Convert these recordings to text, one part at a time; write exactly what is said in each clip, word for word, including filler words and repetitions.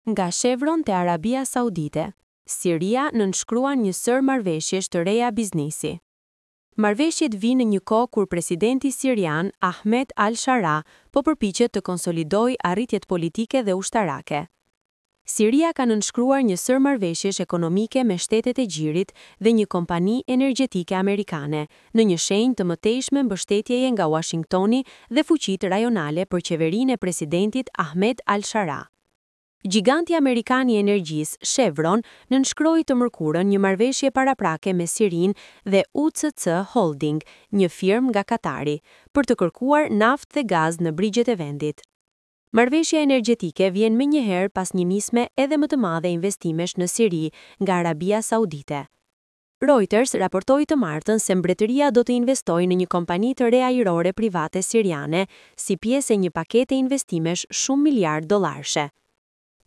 Nga Chevron te Arabia Saudite, Siria nënshkruan një sërë marrëveshjesh të reja biznesi. Marrëveshjet vijnë në një kohë kur presidenti sirian Ahmed al-Shara po përpiqet të konsolidojë arritjet politike dhe ushtarake. Siria ka nënshkruar një sërë marrëveshjesh ekonomike me shtetet e Gjirit dhe një kompani energjetike amerikane, në një shenjë të mëtejshme mbështetjeje nga Uashingtoni dhe fuqitë rajonale për qeverinë e presidentit Ahmed al-Shara. Gjiganti amerikan i energjisë, Chevron, nënshkroi të mërkurën një marrëveshje paraprake me Sirinë dhe U C C Holding, një firmë nga Katari, për të kërkuar naftë dhe gaz në brigjet e vendit. Marrëveshja energjetike vjen menjëherë pas një nisme edhe më të madhe investimesh në Siri nga Arabia Saudite. Reuters raportoi të martën se mbretëria do të investojë në një kompani të re ajrore private siriane si pjesë e një pakete investimesh shumë miliard dollarëshe.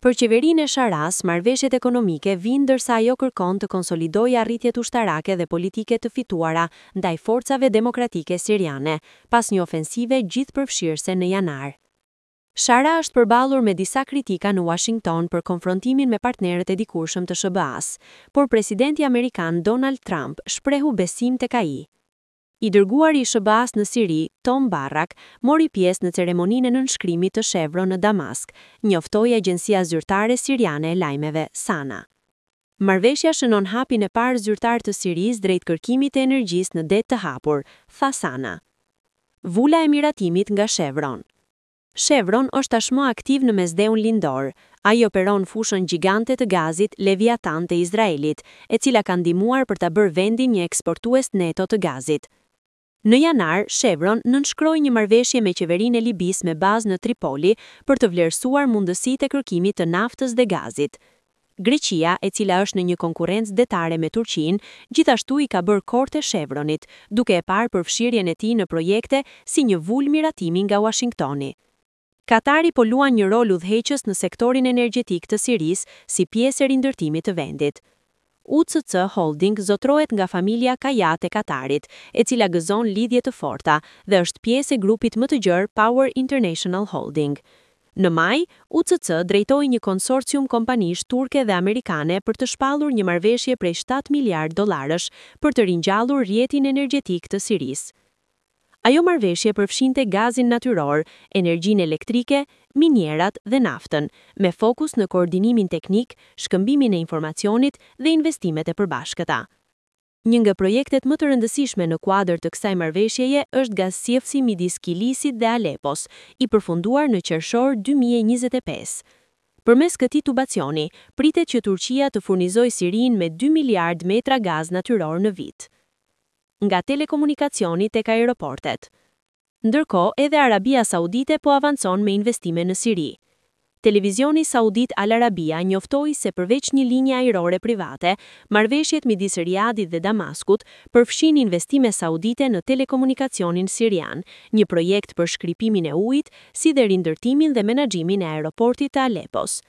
Për qeverinë e Sharas, marrëveshjet ekonomike vijnë ndërsa ajo kërkon të konsolidojë arritjet ushtarake dhe politike të fituara ndaj forcave demokratike siriane, pas një ofensive gjithëpërfshirëse në janar. Shara është përballur me disa kritika në Washington për konfrontimin me partnerët e dikurshëm të S H B A-s, por presidenti amerikan Donald Trump shprehu besim tek ai. I dërguari i S H B A-s në Siri, Tom Barrack, mori pjesë në ceremoninë e nënshkrimit të Chevron në Damask, njoftoi agjencia zyrtare siriane e lajmeve, Sana. "Marrëveshja shënon hapin e parë zyrtar të Sirisë drejt kërkimit të energjisë në det të hapur", tha Sana. Vula e miratimit nga Chevron. Chevron është tashmë aktiv në Mesdheun Lindor. Ai operon fushën gjigante të gazit Leviathan të Izraelit, e cila ka ndihmuar për ta bërë vendin një eksportues neto të gazit. Në janar, Chevron nënshkroi një marrëveshje me qeverinë e Libisë me bazë në Tripoli për të vlerësuar mundësitë e kërkimit të naftës dhe gazit. Greqia, e cila është në një konkurrencë detare me Turqinë, gjithashtu i ka bërë korte Chevronit, duke e parë përfshirjen e tij në projekte si një vulë miratimi nga Washingtoni. Katari po luan një rol udhëheqës në sektorin energjetik të Sirisë si pjesë e rindërtimit të vendit. U C C Holding zotrohet nga familja Kajat e Katarit, e cila gëzon lidhje të forta dhe është pjesë e grupit më të gjerë Power International Holding. Në maj, U C C drejtoi një konsorcium kompanish turke dhe amerikane për të shpallur një marrëveshje prej shtatë miliard dollarësh për të ringjallur rrjetin energjetik të Sirisë. Ajo marrëveshje përfshinte gazin natyror, energjinë elektrike, minierat dhe naftën, me fokus në koordinimin teknik, shkëmbimin e informacionit dhe investimet e përbashkëta. Një nga projektet më të rëndësishme në kuadër të kësaj marrëveshjeje është gazsjellësi midis Kilisit dhe Alepos, i përfunduar në qershor dy mijë e njëzet e pesë. Përmes këtij tubacioni, pritet që Turqia të furnizojë Sirinë me dy miliard metra gaz natyror në vit. Nga telekomunikacioni tek aeroportet. Ndërkohë, edhe Arabia Saudite po avancon me investime në Siri. Televizioni Saudit Al Arabia njoftoi se përveç një linje ajrore private, marrëveshjet midis Riadit dhe Damaskut përfshin investime saudite në telekomunikacionin sirian, një projekt për shkripimin e ujit, si dhe rindërtimin dhe menaxhimin e aeroportit të Alepos.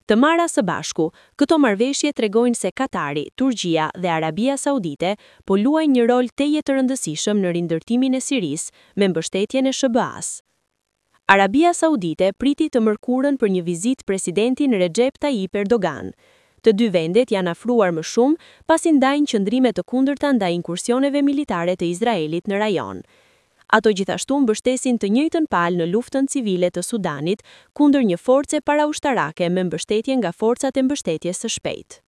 Të marra së bashku, këto marrëveshje tregojnë se Katari, Turqia dhe Arabia Saudite po luajnë një rol tejet të rëndësishëm në rindërtimin e Sirisë me mbështetjen e S H B A-s. Arabia Saudite priti të mërkurën për një vizitë presidentin Recep Tayyip Erdogan. Të dy vendet janë afruar më shumë pasi ndajnë qëndrime të kundërta ndaj inkursioneve militare të Izraelit në rajon. Ato gjithashtu mbështesin të njëjtën palë në luftën civile të Sudanit kundër një force paraushtarake me mbështetje nga forcat e mbështetjes së shpejtë.